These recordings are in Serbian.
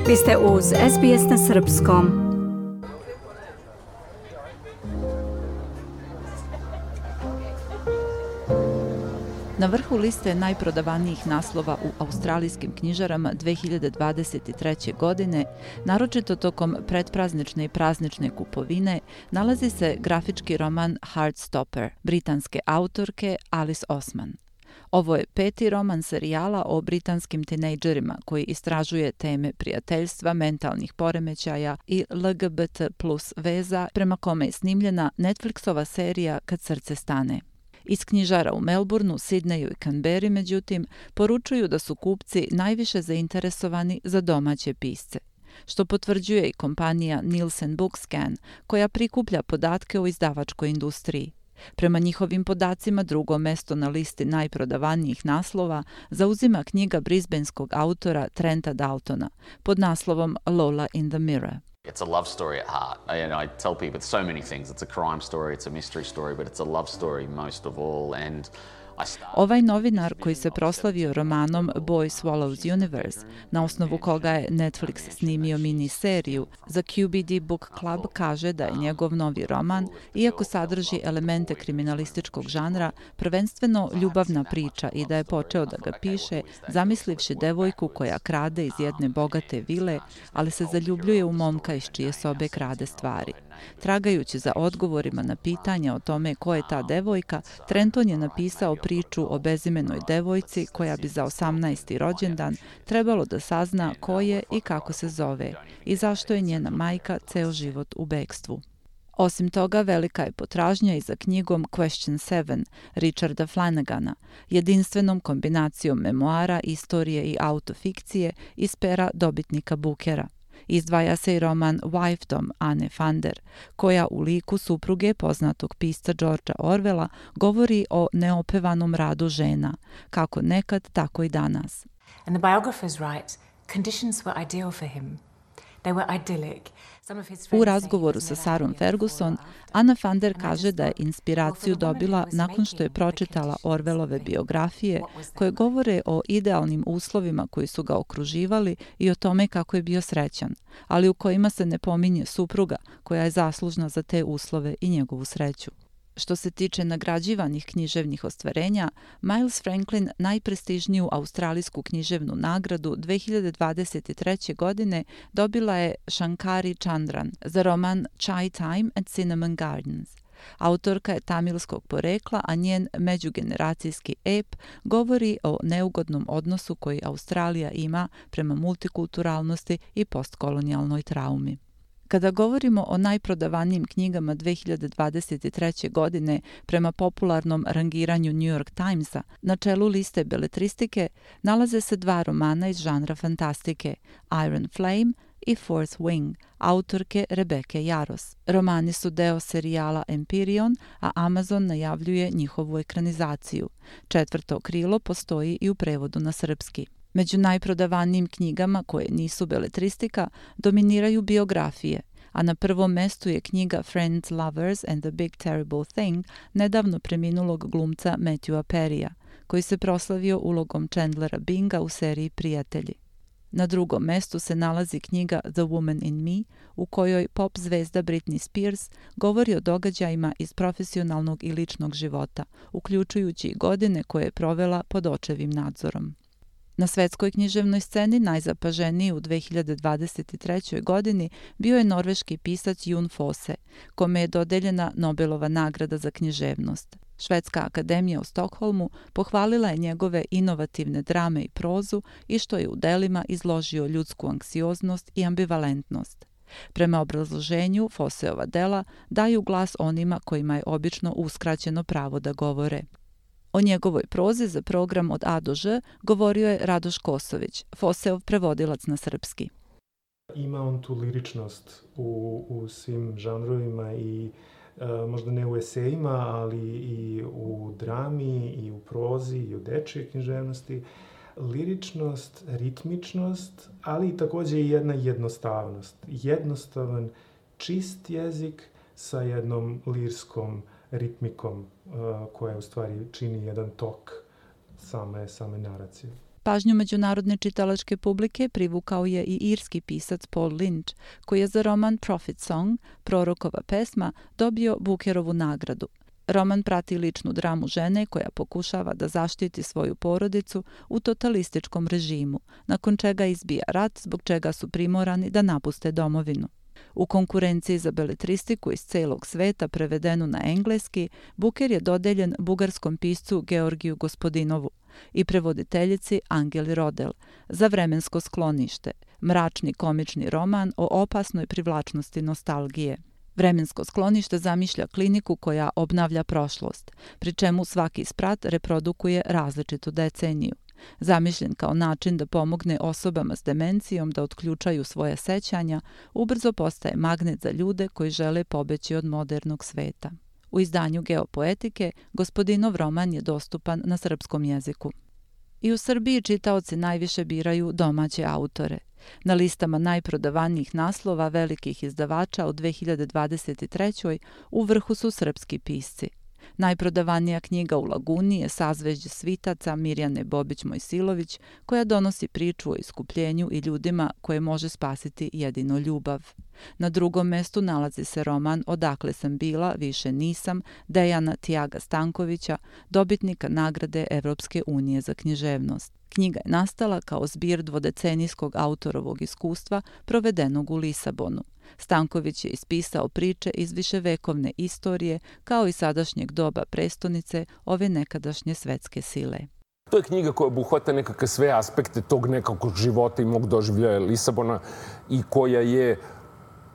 Vi ste uz SBS na Srpskom. Na vrhu liste najprodavanijih naslova u australijskim knjižarama 2023. godine, naročito tokom pretpraznične i praznične kupovine, nalazi se grafički roman Heartstopper, britanske autorke Alice Oseman. Ovo je 5. roman serijala o britanskim tinejdžerima koji istražuje teme prijateljstva, mentalnih poremećaja i LGBT plus veza, prema kome je snimljena Netflixova serija Kad srce stane. Iz knjižara u Melbourneu, Sidneju i Canberri, međutim, poručuju da su kupci najviše zainteresovani za domaće pisce, što potvrđuje i kompanija Nielsen Bookscan, koja prikuplja podatke o izdavačkoj industriji. Prema njihovim podacima, drugo mesto na listi najprodavanijih naslova zauzima knjiga brisbaneskog autora Trenta Daltona pod naslovom Lola in the Mirror. It's a love story at heart. I tell people so many things. It's a crime story, it's a mystery story, but it's a love story most of all. And ovaj novinar koji se proslavio romanom Boy Swallows Universe, na osnovu koga je Netflix snimio mini-seriju, za QBD Book Club kaže da je njegov novi roman, iako sadrži elemente kriminalističkog žanra, prvenstveno ljubavna priča i da je počeo da ga piše zamislivši devojku koja krade iz jedne bogate vile, ali se zaljubljuje u momka iz čije sobe krade stvari. Tragajući za odgovorima na pitanja o tome ko je ta devojka, Trenton je napisao priču o bezimenoj devojci koja bi za 18. rođendan trebalo da sazna ko je i kako se zove i zašto je njena majka ceo život u bekstvu. Osim toga, velika je potražnja i za knjigom Question 7 Richarda Flanagana, jedinstvenom kombinacijom memoara, istorije i autofikcije iz pera dobitnika Bookera. Izdvaja se i roman Wifedom Anne Fander, koja u liku supruge poznatog pisca Georgea Orwella govori o neopevanom radu žena, kako nekad, tako i danas. And the biographers write, conditions were ideal for him. They were idyllic. U razgovoru sa Sarom Ferguson, Anna Fander kaže da je inspiraciju dobila nakon što je pročitala Orwellove biografije koje govore o idealnim uslovima koji su ga okruživali i o tome kako je bio srećan, ali u kojima se ne pominje supruga koja je zaslužna za te uslove i njegovu sreću. Što se tiče nagrađivanih književnih ostvarenja, Miles Franklin najprestižniju australijsku književnu nagradu 2023. godine dobila je Shankari Chandran za roman Chai Time at Cinnamon Gardens. Autorka je tamilskog porekla, a njen međugeneracijski ep govori o neugodnom odnosu koji Australija ima prema multikulturalnosti i postkolonijalnoj traumi. Kada govorimo o najprodavanijim knjigama 2023. godine prema popularnom rangiranju New York Timesa, na čelu liste beletristike nalaze se 2 romana iz žanra fantastike, Iron Flame i Fourth Wing, autorke Rebeke Yaros. Romani su deo serijala Empyrean, a Amazon najavljuje njihovu ekranizaciju. 4. krilo postoji i u prevodu na srpski. Među najprodavanijim knjigama koje nisu beletristika dominiraju biografije, a na prvom mestu je knjiga Friends, Lovers and the Big Terrible Thing nedavno preminulog glumca Matthewa Perrya, koji se proslavio ulogom Chandlera Binga u seriji Prijatelji. Na drugom mestu se nalazi knjiga The Woman in Me, u kojoj pop zvezda Britney Spears govori o događajima iz profesionalnog i ličnog života, uključujući i godine koje je provela pod očevim nadzorom. Na svetskoj književnoj sceni najzapaženiji u 2023. godini bio je norveški pisac Jon Fosse, kome je dodeljena Nobelova nagrada za književnost. Švedska akademija u Stokholmu pohvalila je njegove inovativne drame i prozu i što je u delima izložio ljudsku anksioznost i ambivalentnost. Prema obrazloženju, Fosseova dela daju glas onima kojima je obično uskraćeno pravo da govore. O njegovoj prozi za program Od A do Ž govorio je Radoš Kosović, Fosseov prevodilac na srpski. Ima on tu liričnost u svim žanrovima i možda ne u esejima, ali i u drami, i u prozi, i u dečjoj književnosti. Liričnost, ritmičnost, ali i takođe i jedna jednostavnost. Jednostavan, čist jezik sa jednom lirskom ritmikom koja u stvari čini jedan tok same naracije. Pažnju međunarodne čitalačke publike privukao je i irski pisac Paul Lynch, koji je za roman Prophet Song, Prorokova pesma, dobio Bookerovu nagradu. Roman prati ličnu dramu žene koja pokušava da zaštiti svoju porodicu u totalističkom režimu, nakon čega izbija rat zbog čega su primorani da napuste domovinu. U konkurenciji za beletristiku iz celog sveta prevedenu na engleski, Booker je dodeljen bugarskom piscu Georgiju Gospodinovu i prevoditeljici Angeli Rodel za Vremensko sklonište, mračni komični roman o opasnoj privlačnosti nostalgije. Vremensko sklonište zamišlja kliniku koja obnavlja prošlost, pri čemu svaki sprat reprodukuje različitu deceniju. Zamišljen kao način da pomogne osobama s demencijom da otključaju svoje sećanja, ubrzo postaje magnet za ljude koji žele pobeći od modernog sveta. U izdanju Geopoetike Gospodinov roman je dostupan na srpskom jeziku. I u Srbiji čitaoci najviše biraju domaće autore. Na listama najprodavanijih naslova velikih izdavača u 2023. u vrhu su srpski pisci. Najprodavanija knjiga u Laguni je Sazvežđe svitaca Mirjane Bobić-Mojsilović, koja donosi priču o iskupljenju i ljudima koje može spasiti jedino ljubav. Na drugom mestu nalazi se roman Odakle sam bila, više nisam, Dejana Tiaga Stankovića, dobitnika nagrade Evropske unije za književnost. Knjiga je nastala kao zbir dvodecenijskog autorovog iskustva provedenog u Lisabonu. Stanković je ispisao priče iz viševekovne istorije kao i sadašnjeg doba prestonice ove nekadašnje svetske sile. To je knjiga koja obuhvata nekakve sve aspekte tog nekakvog života i mog doživljaja Lisabona i koja je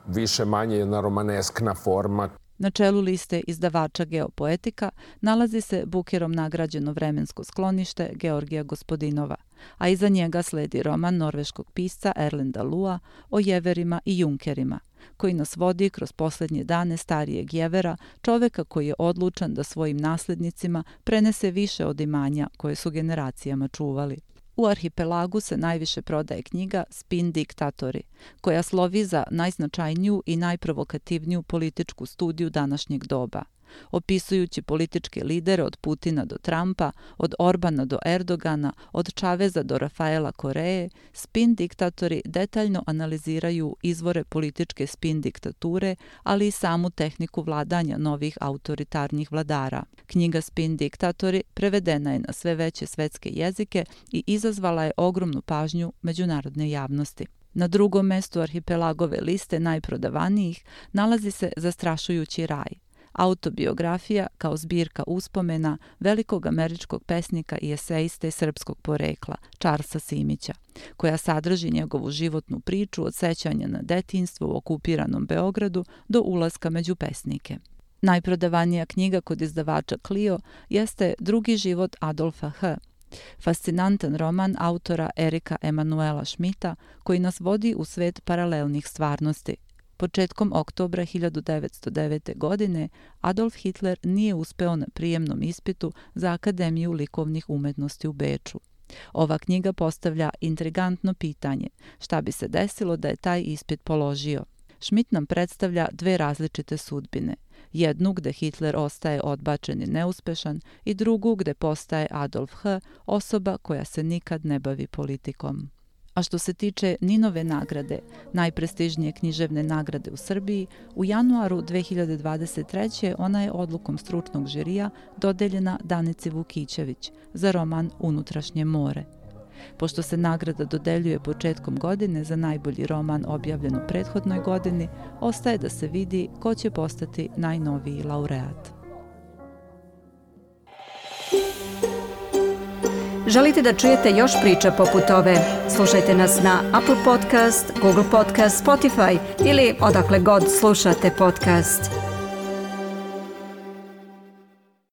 više manje jedna romaneskna forma. Na čelu liste izdavača Geopoetika nalazi se Bookerom nagrađeno Vremensko sklonište Georgija Gospodinova, a iza njega sledi roman norveškog pisca Erlenda Lua o jeverima i junkerima, koji nas vodi kroz posljednje dane starijeg jevera, čoveka koji je odlučan da svojim naslednicima prenese više od imanja koje su generacijama čuvali. U Arhipelagu se najviše prodaje knjiga Spin diktatori, koja slovi za najznačajniju i najprovokativniju političku studiju današnjeg doba. Opisujući političke lidere od Putina do Trumpa, od Orbana do Erdogana, od Čaveza do Rafaela Koreje, spin diktatori detaljno analiziraju izvore političke spin diktature, ali i samu tehniku vladanja novih autoritarnih vladara. Knjiga Spin diktatori prevedena je na sve veće svetske jezike i izazvala je ogromnu pažnju međunarodne javnosti. Na drugom mestu Arhipelagove liste najprodavanijih nalazi se Zastrašujući raj, autobiografija kao zbirka uspomena velikog američkog pesnika i esejiste srpskog porekla, Charlesa Simića, koja sadrži njegovu životnu priču od sećanja na detinjstvo u okupiranom Beogradu do ulaska među pesnike. Najprodavanija knjiga kod izdavača Clio jeste Drugi život Adolfa H., fascinantan roman autora Erika Emanuela Schmidta koji nas vodi u svet paralelnih stvarnosti. Početkom oktobra 1909. godine Adolf Hitler nije uspeo na prijemnom ispitu za Akademiju likovnih umetnosti u Beču. Ova knjiga postavlja intrigantno pitanje šta bi se desilo da je taj ispit položio. Schmidt nam predstavlja dve različite sudbine. Jednu gde Hitler ostaje odbačen i neuspešan i drugu gde postaje Adolf H., osoba koja se nikad ne bavi politikom. A što se tiče Ninove nagrade, najprestižnije književne nagrade u Srbiji, u januaru 2023. ona je odlukom stručnog žirija dodeljena Danici Vukićević za roman Unutrašnje more. Pošto se nagrada dodeljuje početkom godine za najbolji roman objavljen u prethodnoj godini, ostaje da se vidi ko će postati najnoviji laureat. Želite da čujete još priča poput ove? Slušajte nas na Apple Podcast, Google Podcast, Spotify ili odakle god slušate podcast.